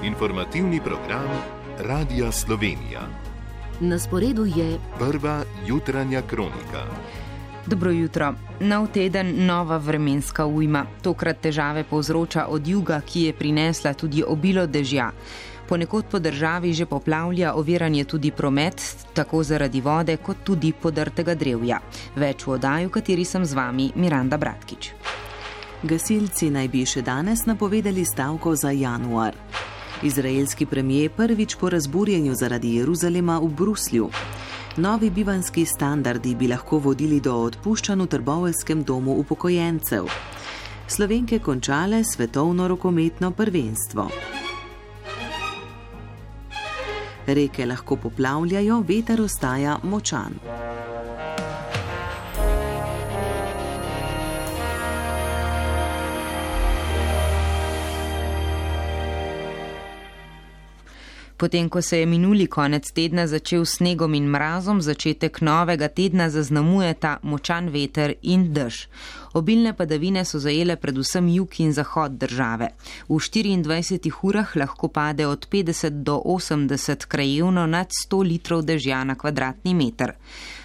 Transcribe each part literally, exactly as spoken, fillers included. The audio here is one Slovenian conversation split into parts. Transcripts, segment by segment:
Informativni program Radia Slovenija. Na sporedu je prva jutranja kronika. Dobro jutro. Nov teden, nova vremenska ujma. Tokrat težave povzroča od juga, ki je prinesla tudi obilo dežja. Ponekod po državi že poplavlja, oviran je tudi promet, tako zaradi vode, kot tudi podrtega drevja. Več v oddaji, v kateri sem z vami, Miranda Bratkič. Gasilci naj bi še danes napovedali stavko za januar. Izraelski premijer prvič po razburjenju zaradi Jeruzalema v Bruslju. Novi bivanjski standardi bi lahko vodili do odpuščanj v trboveljskem domu upokojencev. Slovenke končale svetovno rokometno prvenstvo. Reke lahko poplavljajo, veter ostaja močan. Potem, ko se je minuli konec tedna začel s snegom in mrazom, začetek novega tedna zaznamujeta močan veter in dež. Obilne padavine so zajele predvsem jug in zahod države. V štiriindvajsetih urah lahko pade od petdeset do osemdeset krajevno nad sto litrov dežja na kvadratni meter.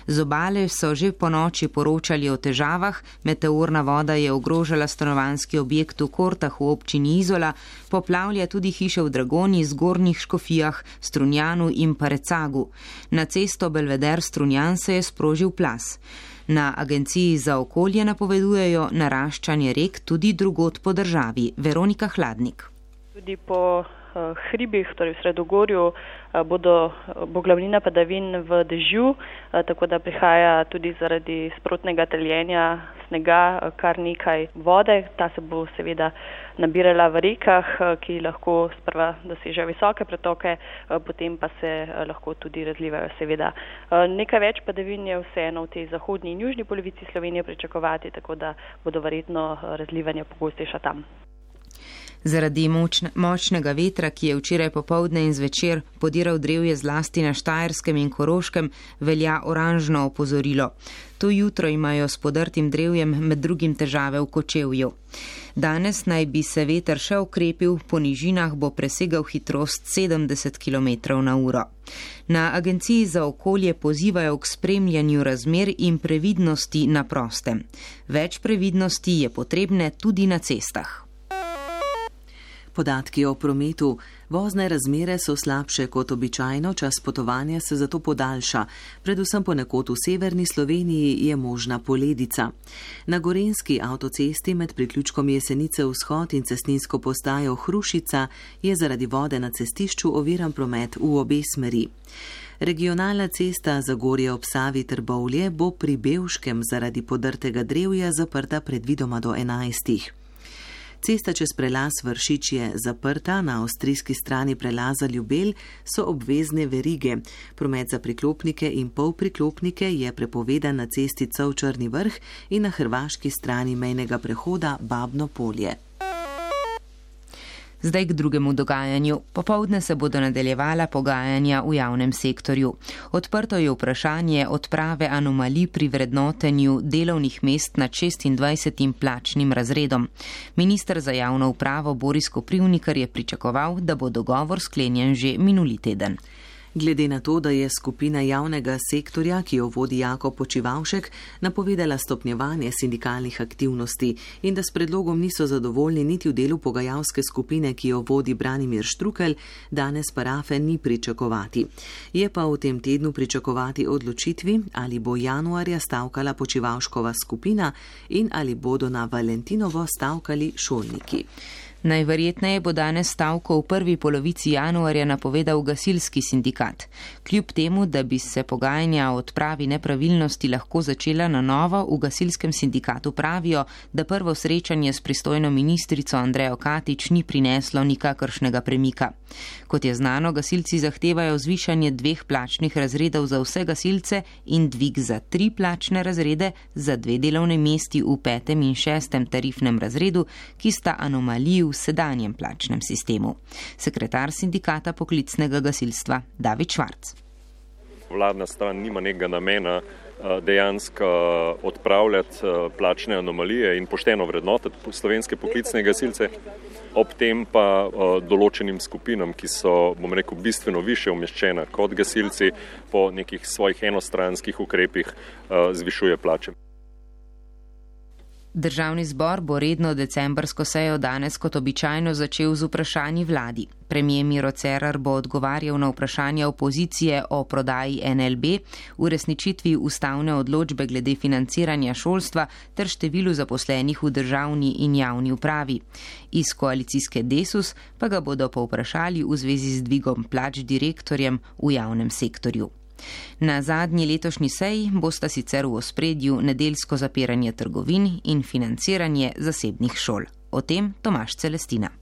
Z obale so že po noči poročali o težavah, meteorna voda je ogrožala stanovanjski objekt v Kortah v občini Izola, poplavlja tudi hiše v Dragoni, Zgornjih Škofijah, Strunjanu in Parecagu. Na cesto Belveder-Strunjan se je sprožil plaz. Na Agenciji za okolje napovedujejo naraščanje rek tudi drugod po državi. Veronika Hladnik. Tudi po uh, hribih, torej v Sredogorju, uh, bodo, bo glavnina padavin v dežju, uh, tako da prihaja tudi zaradi sprotnega taljenja snega uh, kar nekaj vode. Ta se bo seveda nabirala v rekah, uh, ki lahko sprva dosežejo visoke pretoke, uh, potem pa se uh, lahko tudi razlivajo seveda. Uh, nekaj več padavin je vseeno v tej zahodni in južni polovici Slovenije pričakovati, tako da bodo verjetno uh, razlivanja pogostejša tam. Zaradi močne, močnega vetra, ki je včeraj popoldne in zvečer podiral drevje zlasti na Štajerskem in Koroškem, velja oranžno opozorilo. To jutro imajo s podrtim drevjem med drugim težave v Kočevju. Danes naj bi se veter še okrepil, po nižinah bo presegal hitrost sedemdeset kilometrov na uro. Na Agenciji za okolje pozivajo k spremljanju razmer in previdnosti na prostem. Več previdnosti je potrebne tudi na cestah. Podatki o prometu. Vozne razmere so slabše kot običajno, čas potovanja se zato podaljša. Predvsem ponekod v severni Sloveniji je možna poledica. Na gorenjski avtocesti med priključkom Jesenice vzhod in cestninsko postajo Hrušica je zaradi vode na cestišču oviran promet v obe smeri. Regionalna cesta Zagorje ob Savi Trbovlje bo pri Bevškem zaradi podrtega drevja zaprta predvidoma do enajstih. Cesta čez prelaz Vršič je zaprta, na avstrijski strani prelaza Ljubelj so obvezne verige. Promet za priklopnike in polpriklopnike je prepovedan na cesti Cov-Črni vrh in na hrvaški strani mejnega prehoda Babno polje. Zdaj k drugemu dogajanju. Popoldne se bodo nadaljevala pogajanja v javnem sektorju. Odprto je vprašanje odprave anomalij pri vrednotenju delovnih mest nad šestindvajsetim plačnim razredom. Minister za javno upravo Boris Koprivnikar je pričakoval, da bo dogovor sklenjen že minuli teden. Glede na to, da je skupina javnega sektorja, ki jo vodi Jakob Počivavšek, napovedala stopnjevanje sindikalnih aktivnosti in da s predlogom niso zadovoljni niti v delu pogajalske skupine, ki jo vodi Branimir Štrukelj, danes parafe ni pričakovati. Je pa v tem tednu pričakovati odločitvi, ali bo januarja stavkala Počivavškova skupina in ali bodo na Valentinovo stavkali šolniki. Najverjetneje bo danes stavko v prvi polovici januarja napovedal gasilski sindikat. Kljub temu, da bi se pogajanja o odpravi nepravilnosti lahko začela na novo, v gasilskem sindikatu pravijo, da prvo srečanje s pristojno ministrico Andrejo Katič ni prineslo nikakršnega premika. Kot je znano, gasilci zahtevajo zvišanje dveh plačnih razredov za vse gasilce in dvig za tri plačne razrede za dve delovne mesti v petem in šestem tarifnem razredu, ki sta anomaliji v sedanjem plačnem sistemu. Sekretar sindikata poklicnega gasilstva David Švarc. Vladna stran nima nekega namena dejansko odpravljati plačne anomalije in pošteno vrednotiti slovenske poklicne gasilce. ob tem pa določenim skupinam, ki so, bom rekel, bistveno više umeščena kot gasilci, po nekih svojih enostranskih ukrepih zvišuje plače. Državni zbor bo redno decembrsko sejo danes kot običajno začel z vprašanji vladi. Premijer Miro Cerar bo odgovarjal na vprašanja opozicije o prodaji N L B, uresničitvi ustavne odločbe glede financiranja šolstva ter številu zaposlenih v državni in javni upravi. Iz koalicijske Desus pa ga bodo povprašali v zvezi z dvigom plač direktorjem v javnem sektorju. Na zadnji letošnji seji bosta sicer v ospredju nedeljsko zapiranje trgovin in financiranje zasebnih šol. O tem Tomaž Celestina.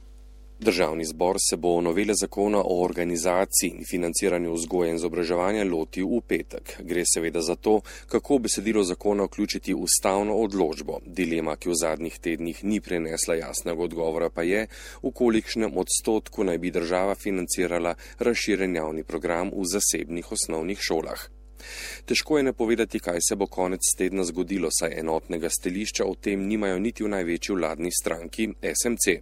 Državni zbor se bo novele zakona o organizaciji in financiranju vzgoje in izobraževanja lotil v petek. Gre seveda za to, kako besedilo zakona vključiti ustavno odločbo. Dilema, ki v zadnjih tednih ni prinesla jasnega odgovora, pa je, v kolikšnem odstotku naj bi država financirala razširjen javni program v zasebnih osnovnih šolah. Težko je napovedati, kaj se bo konec tedna zgodilo, saj enotnega stališča o tem nimajo niti v največji vladni stranki S M C.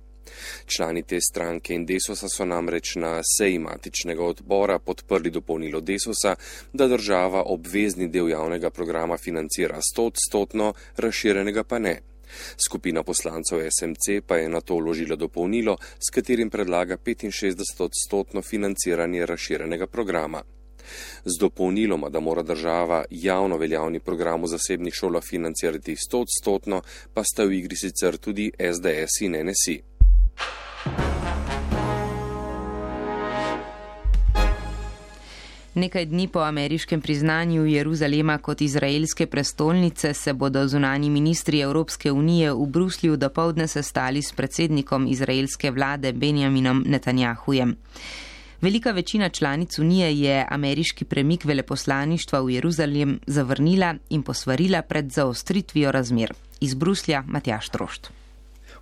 Člani te stranke in Desusa so namreč na seji matičnega odbora podprli dopolnilo Desusa, da država obvezni del javnega programa financira stoodstotno, razširjenega pa ne. Skupina poslancev S M C pa je na to vložila dopolnilo, s katerim predlaga petinšestdesetodstotno financiranje razširjenega programa. Z dopolniloma, da mora država javno veljavni program v zasebnih šolah financirati stoodstotno, pa sta v igri sicer tudi S D S in N S I. Nekaj dni po ameriškem priznanju Jeruzalema kot izraelske prestolnice se bodo zunanji ministri Evropske unije v Bruslju dopoldne sestali s predsednikom izraelske vlade Benjaminom Netanjahujem. Velika večina članic unije je ameriški premik veleposlaništva v Jeruzalem zavrnila in posvarila pred zaostritvijo razmer. Iz Bruslja Matjaž Trošt.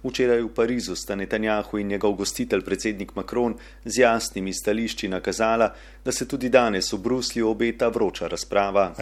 Včeraj v Parizu sta Netanjahu in njegov gostitelj predsednik Macron z jasnimi stališči nakazala, da se tudi danes v Bruslju obeta vroča razprava.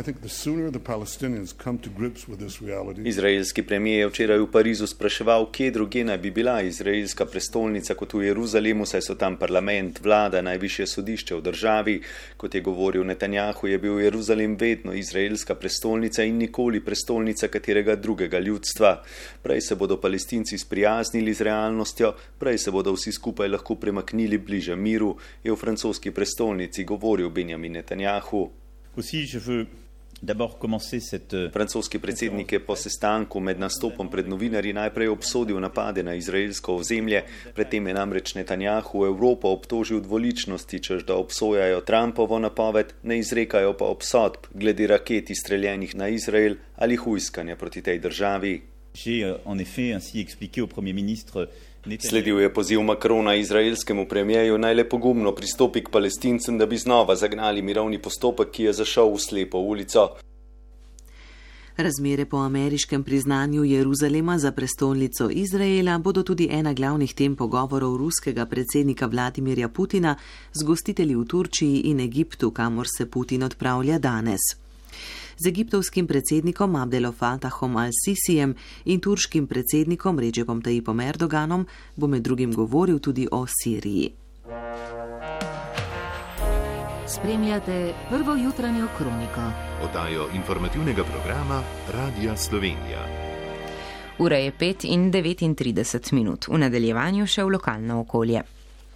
Izraelski premijer je včeraj v Parizu spraševal, kje druge naj bi bila izraelska prestolnica kot v Jeruzalemu, saj so tam parlament, vlada, najvišje sodišče v državi. Kot je govoril Netanjahu, je bil Jeruzalem vedno izraelska prestolnica in nikoli prestolnica katerega drugega ljudstva. Prej se bodo Palestinci sprijaznili z realnostjo, prej se bodo vsi skupaj lahko premaknili bliže miru, je v francoski prestolnici govoril Benjamin Netanjahu. Francoski predsednik je po sestanku med nastopom pred novinarji najprej obsodil napade na izraelsko ozemlje, predtem je namreč Netanjahu Evropo obtožil dvoličnosti, češ da obsojajo Trumpovo napoved, ne izrekajo pa obsodb glede raket izstreljenih na Izrael ali hujskanja proti tej državi. Sledil je poziv Macrona izraelskemu premijeju naj le pogumno pristopi k Palestincem, da bi znova zagnali mirovni postopek, ki je zašel v slepo ulico. Razmere po ameriškem priznanju Jeruzalema za prestolnico Izraela bodo tudi ena glavnih tem pogovorov ruskega predsednika Vladimirja Putina z gostitelji v Turčiji in Egiptu, kamor se Putin odpravlja danes. Z egiptovskim predsednikom Abdel Fattahom al-Sisijem in turškim predsednikom Recepom Tayyipom Erdoganom bo med drugim govoril tudi o Siriji. Spremljate prvo jutranjo kroniko. Oddajo informativnega programa Radia Slovenija. Ura je pet in devetintrideset minut. V nadaljevanju še v lokalno okolje.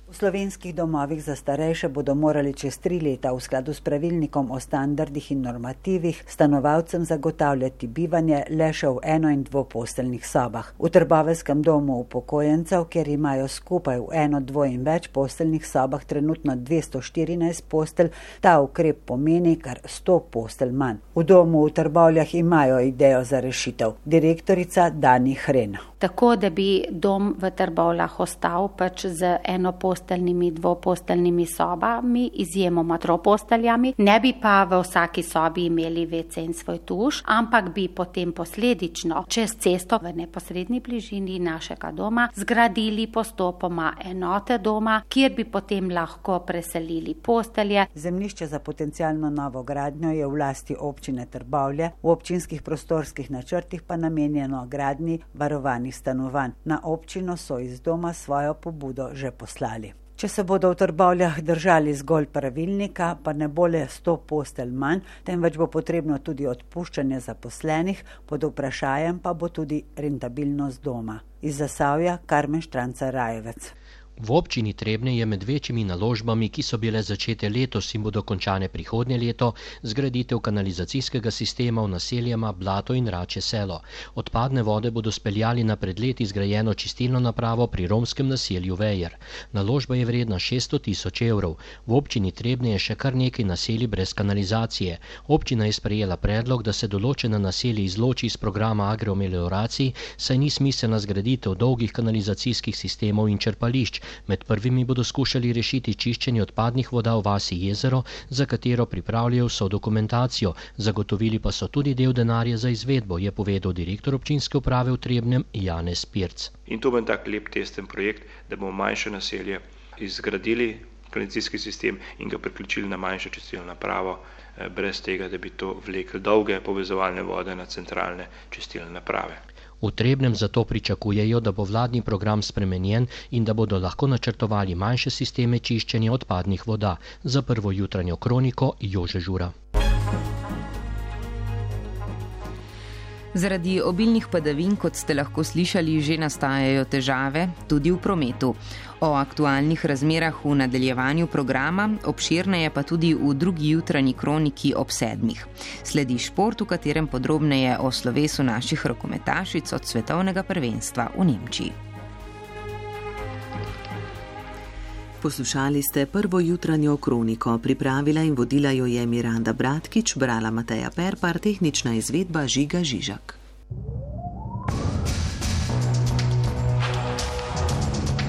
V slovenskih domovih za starejše bodo morali čez tri leta v skladu s pravilnikom o standardih in normativih stanovalcem zagotavljati bivanje le še v eno- in dvoposteljnih sobah. V Trbovelskem domu upokojencev, kjer imajo skupaj v eno, dvo in več posteljnih sobah trenutno dvesto štirinajst postelj, ta ukrep pomeni kar sto postelj manj. V domu v Trbovljah imajo idejo za rešitev. Direktorica Dani Hren. Tako, da bi dom v Trbovljah ostal pač z eno posteljo enoposteljnimi, dvoposteljnimi sobami, izjemoma troposteljami. Ne bi pa v vsaki sobi imeli ve ce in svoj tuš, ampak bi potem posledično čez cesto v neposrednji bližini našega doma zgradili postopoma enote doma, kjer bi potem lahko preselili postelje. Zemljišče za potencialno novo gradnjo je v lasti občine Trbovlje, v občinskih prostorskih načrtih pa namenjeno gradnji varovanih stanovanj. Na občino so iz doma svojo pobudo že poslali. Če se bodo v Trbovljah držali zgolj pravilnika, pa ne bo le sto postelj manj, temveč bo potrebno tudi odpuščanje zaposlenih, pod vprašajem pa bo tudi rentabilnost doma. Iz Zasavja Karmen Štranca-Rajevec. V občini Trebnje je med večjimi naložbami, ki so bile začete letos in bodo končane prihodnje leto, zgraditev kanalizacijskega sistema v naseljema Blato in Račje selo. Odpadne vode bodo speljali na pred leti zgrajeno čistilno napravo pri romskem naselju Vejer. Naložba je vredna šeststo tisoč evrov. V občini Trebnje je še kar nekaj naselij brez kanalizacije. Občina je sprejela predlog, da se določena naselja izloči iz programa agroamelioracij, saj ni smiselna zgraditev dolgih kanalizacijskih sistemov in črpališč. Med prvimi bodo skušali rešiti čiščenje odpadnih voda v vasi Jezero, za katero pripravljajo vso dokumentacijo. Zagotovili pa so tudi del denarja za izvedbo, je povedal direktor občinske uprave v Trebnjem Janez Pirc. In to bo tak lep testen projekt, da bomo manjše naselje izgradili kanalizacijski sistem in ga priključili na manjšo čistilno napravo, brez tega, da bi to vlekli dolge povezovalne vode na centralne čistilne naprave. V Trebnjem zato pričakujejo, da bo vladni program spremenjen in da bodo lahko načrtovali manjše sisteme čiščenja odpadnih voda. Za Prvo jutranjo kroniko Jože Žura. Zaradi obilnih padavin, kot ste lahko slišali, že nastajajo težave tudi v prometu. O aktualnih razmerah v nadaljevanju programa, obširneje pa tudi v drugi jutranji kroniki ob sedmih. Sledi šport, v katerem podrobneje o slovesu naših rokometašic od svetovnega prvenstva v Nemčiji. Poslušali ste Prvo jutranjo kroniko, pripravila in vodila jo je Miranda Bratkič, brala Mateja Perpar, tehnična izvedba Žiga Žižak.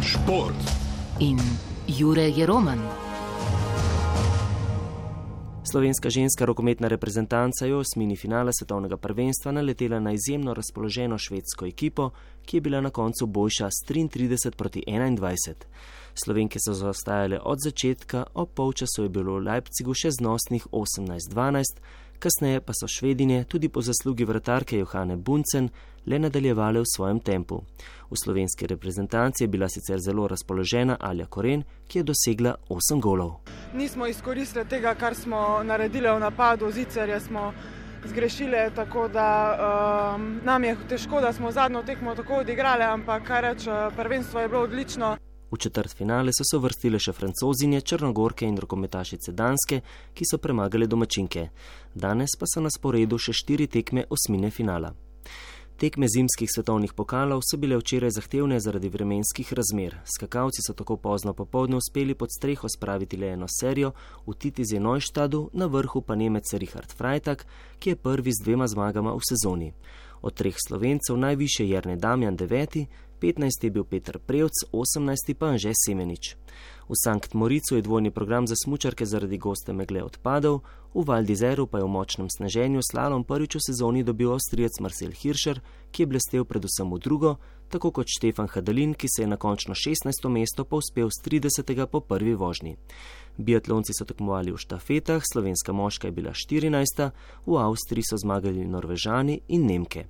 Šport in Jure Jeroman. Slovenska ženska rokometna reprezentanca je v osmini finala svetovnega prvenstva naletela na izjemno razpoloženo švedsko ekipo, ki je bila na koncu boljša s triintrideset proti enaindvajset. Slovenke so zaostajale od začetka, ob polčasu je bilo v Leipzigu še znosnih osemnajst dvanajst, kasneje pa so Švedinje tudi po zaslugi vratarke Johane Bunsen le nadaljevale v svojem tempu. V slovenski reprezentanci je bila sicer zelo razpoložena Alja Koren, ki je dosegla osem golov. Nismo izkoristili tega, kar smo naredili v napadu, zicerje smo zgrešile, tako da um, nam je težko, da smo zadnjo tekmo tako odigrali, ampak kar reč, prvenstvo je bilo odlično. V četrtfinale so se uvrstile še Francozinje, Črnogorke in rokometašice Danske, ki so premagale domačinke. Danes pa so na sporedu še štiri tekme osmine finala. Tekme zimskih svetovnih pokalov so bile včeraj zahtevne zaradi vremenskih razmer. Skakalci so tako pozno popoldne uspeli pod streho spraviti le eno serijo, v Titizi Neuštadu, na vrhu pa Nemec Richard Freitag, ki je prvi z dvema zmagama v sezoni. Od treh Slovencev najvišje Jernej Damjan deveti, petnajsti je bil Peter Prevc, osemnajsti pa Anže Semenič. V Sankt Moricu je dvojni program za smučarke zaradi goste megle odpadel, v Val d'Izeru pa je v močnem sneženju slalom prvič v sezoni dobil Avstrijec Marcel Hirscher, ki je blestel predvsem v drugo, tako kot Štefan Hadalin, ki se je na končno šestnajsto mesto povzpel s tridesetega po prvi vožnji. Biatlonci so tekmovali v štafetah, slovenska moška je bila štirinajsta, v Avstriji so zmagali Norvežani in Nemke.